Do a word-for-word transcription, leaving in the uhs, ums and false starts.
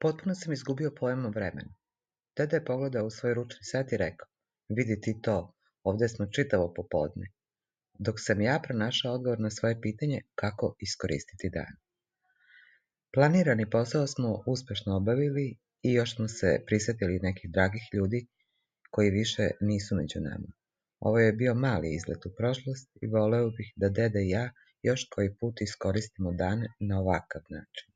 Potpuno sam izgubio pojam o vremenu. Deda je pogledao u svoj ručni sat i rekao: "Vidi ti to, ovdje smo čitavo popodne." Dok sam ja pronašao odgovor na svoje pitanje kako iskoristiti dan. Planirani posao smo uspješno obavili i još smo se prisjetili nekih dragih ljudi koji više nisu među nama. Ovo je bio mali izlet u prošlost i voleo bih da deda i ja još koji put iskoristimo dan na ovakav način.